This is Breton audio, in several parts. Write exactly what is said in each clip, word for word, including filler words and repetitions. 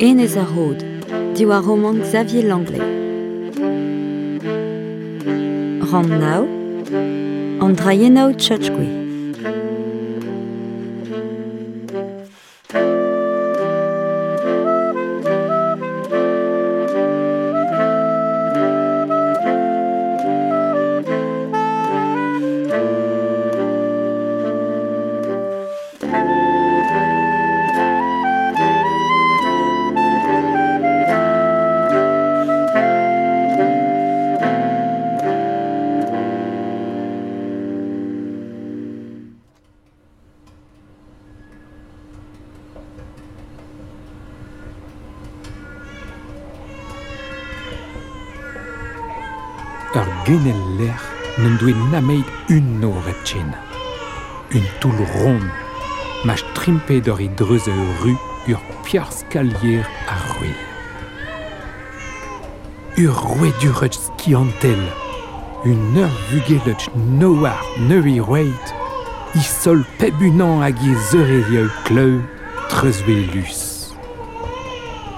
Enez ar Rod, diwar romant Xavier Langlais. Rann nav, an drailhennoù Tchatchgwe. Ur genel lec'h n'en doe nameit un nor hepken. Un toull ront, ma strimpe d'ur e dreuz ur ru ur piar skalier ar c'hwel. Ur rouedurech skiantel, un ur vugelech noar neui roeit, i sol peb unan hag e zeurezieu kleu treuzwelus.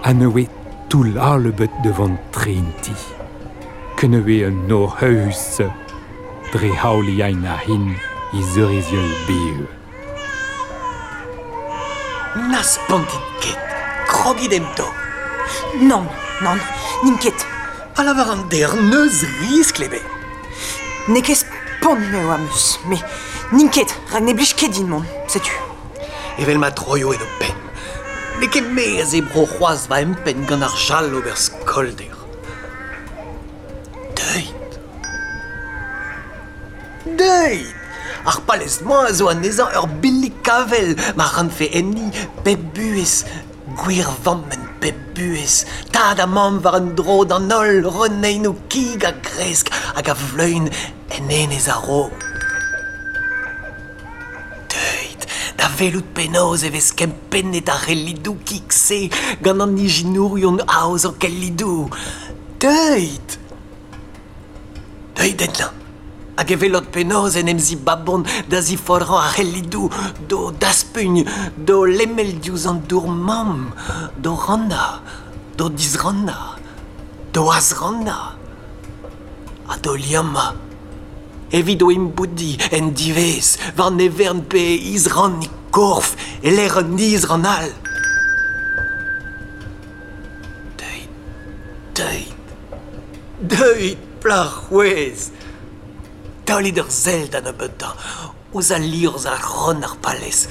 Ha neue toull alebet devant treinti. Keneue un nor heus, dre haoliain a hin i zeurezieu beu. Na spontit ket, krogit em to. Nann, nann, n'in ket. Pa lavar an der neus riskl ebet. N'eo ket spont eo am eus, me n'in ket, rak ne blij ket din mont, setu. Evel ma troio en ho penn. N'eo ket me a zebro c'hoazh va empenn gant ar jal ober skolder. Deuit. Deuit. Ar palez-mañ a zo anezhañ ur billig kavel ma rannfe enni pep buhez, gwir vammenn pep buhez, tad ha mamm war un dro d'an holl reneinoù kig a gresk hag a vleun en enez ar Rod. Deuit, da welout penaos e vez kempennet ar c'hellidoù kig-se gant an ijinourion aozañ kellidoù. Deuit. Deuit ennañ. Hag e welot penaos en em zibabont da ziforc'hañ ar c'hellidoù, d'o daspugn, d'o lemel diouzh an dour mamm, d'o rannañ, d'o disrannañ, d'o azrannañ, ha d'o liammañ. Evit o imboudiñ en diwezh, war ne vern pe isrann e korf, e lec'h un isrann all. Deuit, deuit, deuit, plac'h c'hwez. Taolit ur sell da nebeutañ, ouzh al liorzh ar ron ar palez.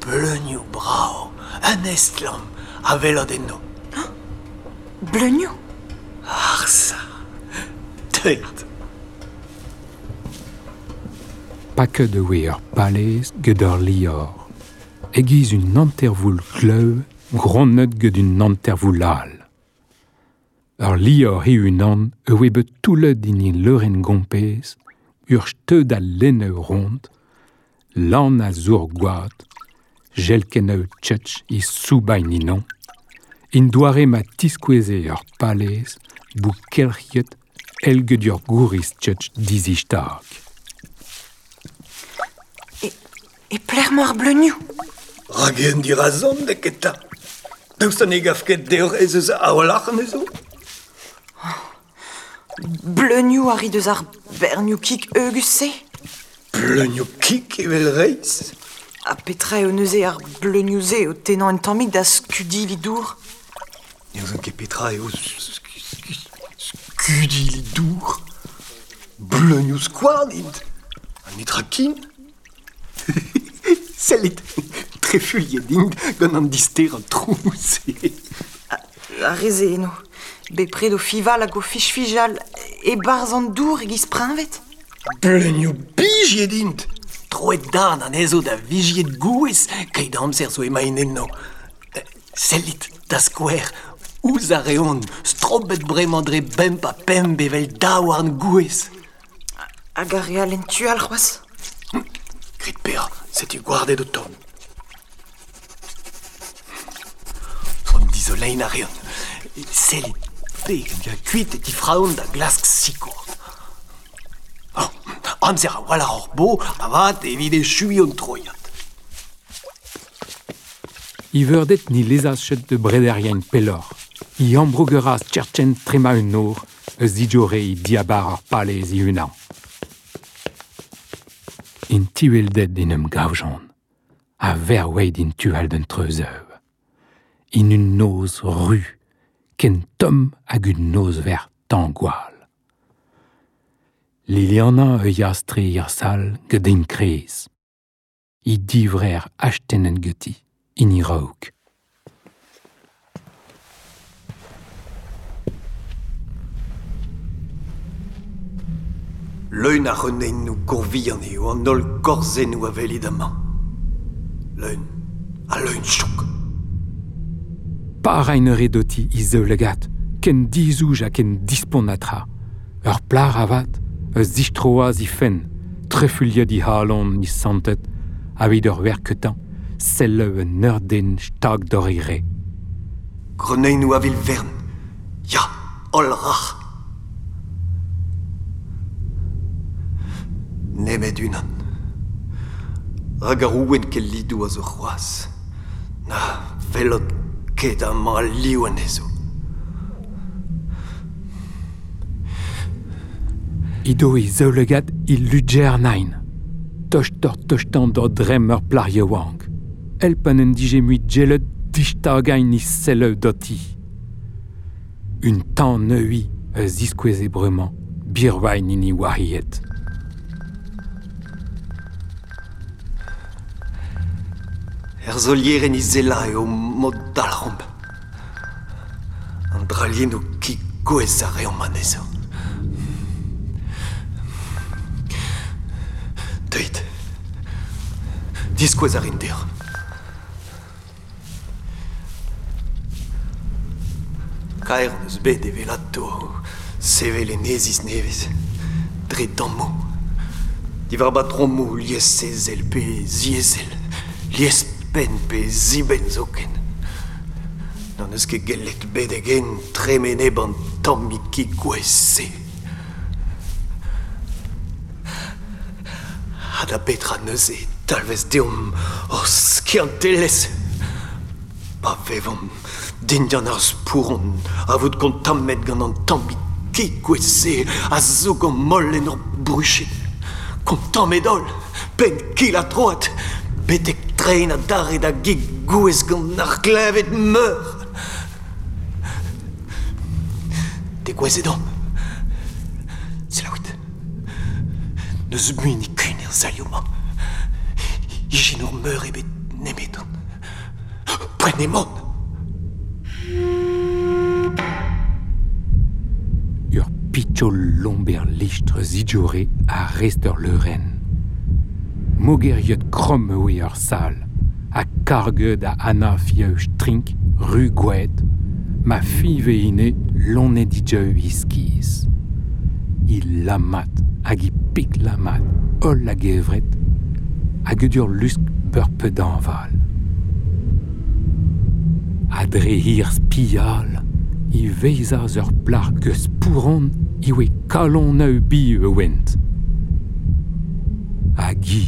Bleunioù brav, un estlamm a welot eno. Bleunioù? Arsa, deuit. Paket e oe ur palez get ur lior. E-giz un hantervoul glev gronnet get un hantervoul all. Ur lior he-unan e oe bet toullet din e leurenn gompez, ur steud a lenneu ront, lan a zour gwad, jelkenneu tchetch i soubain inon, in doare ma tiskoueze ur palez bou kelc'hiet elget ur gouriz tchetch dizistag. E, e plec'h emañ ar bleunioù? Rak en dirazon n'eo ket ta. Daoust ha ne gav ket deoc'h ez eus a-walc'h anezho? Bleunioù a rit eus ar bernioù kig heugus-se? Bleunioù kig evel reizh? Ha petra eo neuze ar bleunioù-se o tennañ un tammig da skudili dour? Ne ouzon ket petra eo skudili dour. Bleunioù skouarn int. Ha netra ken. Sellit, trefuilhet int gant an disterañ trouz. Ar re-se eno. Bepred o fival hag o fichfijal e-barzh an dour e-giz preñved. Bleunioù bijied int. Troet darn anezho da vijied gouez, keit amzer zo emaint eno. Sellit, da skouer, ouzh ar reont, strobet bremañ dre bemp ha pemp evel daouarn gouez. Hag ar re all en tu all c'hoazh? Grit peoc'h, setu gwarded o tont. An dizoleiñ a reont. Sellit, pegen ya kuit e tifraont da glask sikour. Oh, amzer a-walc'h hor bo, avat evit echuiñ hon troiad. I veurdet ni lezas chet de brederien pelor. I ambrougeras tcherchen trema un nor, eus dijore i diabar ar palez i unan. In tiweldet in um gavjon, a verweid in tual d'un treuzeu. In un noz ru, ken tom hag un noz ver tangwal. Liliana e yastre ir sal gedin krez. I divrer achtenen geti, in i raok. Leun a renein gourvian eo an holl gorzennoù a welit amañ. Leun, a leun chouk. Par ein redoti i zeulegat, ken dizouj ha ken dispont atra. Ur plar avat, eus zistroaz i fen, trefuliet i halon i santet, aveit ur werketan, selle un ur den stag d'or i re. Greneinoù a vil vern, ya, holl rac'h. Nemet unan. Rag ar ouen ket lidou a zo c'hoaz. Na velot ket amañ al liv anezho. Ido i zeulegat i ludger nain. Tocht ur tochtan d'ur drem ur plar yaouank. Elpan en dije mui djelet dichtagain i selleu doti. Un tan neui eus diskoueze bremañ, birwain ini wariet. Er zolieren i zela eo mod dalc'homp. An draliennoù ki gouez a reomp anezho. Deuit. Diskouez a rin deoc'h. Kaer eus bet evelato sevel enezis nevez, dre dammoù. Diwar batromoù liessezel pe ziezel, liespenn pe zibenn zoken. N'an eus ket gellet bedegen tremene ban tammig ki gouez-se. Ha da petra neuze talvez deomp hor skiantelezh. Pa vevomp dindan ar spouron a vout kontammet gant an tammig ki gouez-se a zo gant moll en ur bruchet. Kontammet holl, penn kil a troad, betek trein a dare da gig gouez gant ar klevet meur. Degouezet omp. Selaouit. N'eus mui nikun er salioù-mañ. Ijinour meur ebet nemeton. Prenez-mon! Ur pitchol lomber lichtre zijore a rest ur leuren. Mogeriet krom oe ur sal, a karged a ana fieu strink, ru gouet, ma five ine lonne dijeu iskiz. I lamat hag i pik lamat, holl hag evret, hag ur lusk beurpe d'anval. A dre hir spial, i veizaz ur plar geus pouron i oe kalon eu bi e went. Hag i,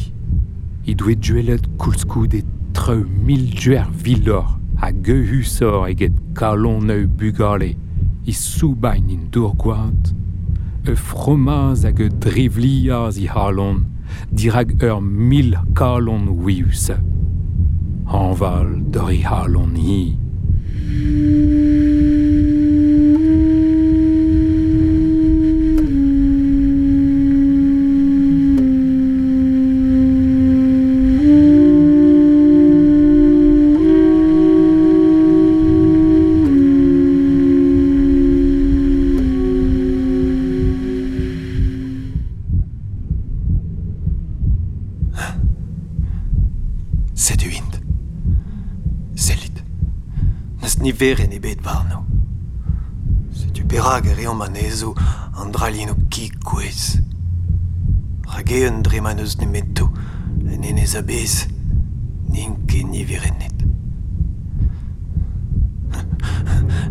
i doe duelet koulskoude treu mil duer vilor hag euhusor eget kalon eu bugale i soubain in dour gwad, e fromaz hag e drivliaz i halon, dirag ur mil kalon wius. Anval d'ur i halon hi. Setu int. Sellit. N'eus niveren ebet warno. Setu perak e reomp anezho an draliennoù ki gouez. Rag eeun dre ma n'eus nemeto en enez a-bezh n'int ket niverennet.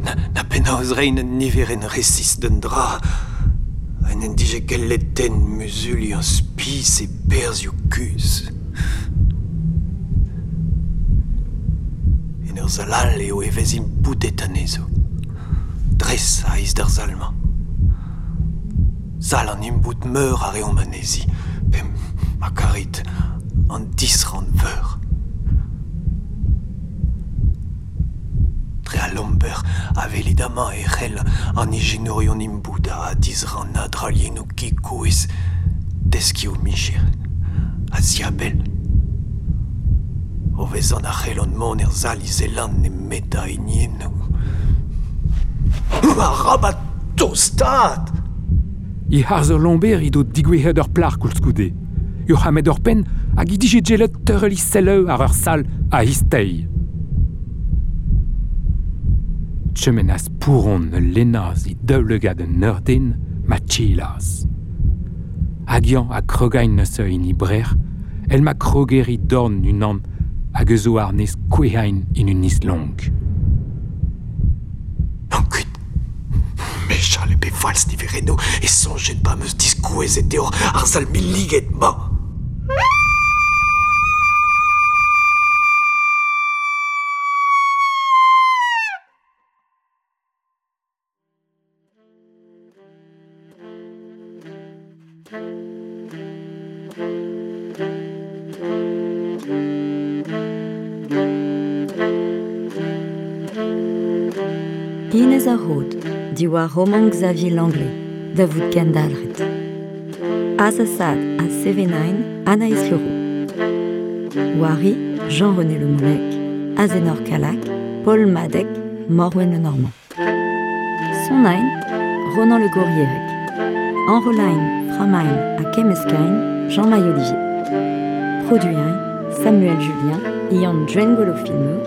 Na, na penaos reiñ un niverenn resis d'un dra en en dije gellet den muzuliañ spis e perzhioù kuzh. En ur sal all eo e vez imboudet anezho. Dres a iz d'ar sal-mañ. Sal an imbout meur a reomp anezhi, pe ma karit an disrann veur. Dre al lomber a velit amañ e c'hell an ijinourion imbout a disrann a draliennoù kikouez deski o micher, a ziabell. O vezan a c'hellont mont er sal izelan nemet a hiniennoù. Arabat tostaat! I harz ur lomber he do digouezhet ur plac'h koulskoude. Ur c'hammed ur penn hag he dije gellet teurel he selleu ar ur sal a histeiz. Chemenas pouron ul lennaz he daoulegad un ur den ma tchilaz. Hag yañ a krogain neuze in he brec'h, el ma kroger he dorn unan hag eus o arnez kouehain in un islonk. An kuit. Mechal e pe falz nivereno e soñjet pa meus diskouezet deoc'h ar sal milliget ma. Inez ar Rod, diwar roman Xavier Langlais, da vout kendalc'het. Azasad a Sevenain, Anaïs Leroux. Wari, Jean-René Le Moulec, Azenor Calac, Paul Madec, Morwen Le Normand. Sonain, Ronan Le Gourrierec. Enrolain, Framain ha Kemmeskain, Jean-Maï Olivier. Produin, Samuel Julien, Ian Dwengolo Filmeux,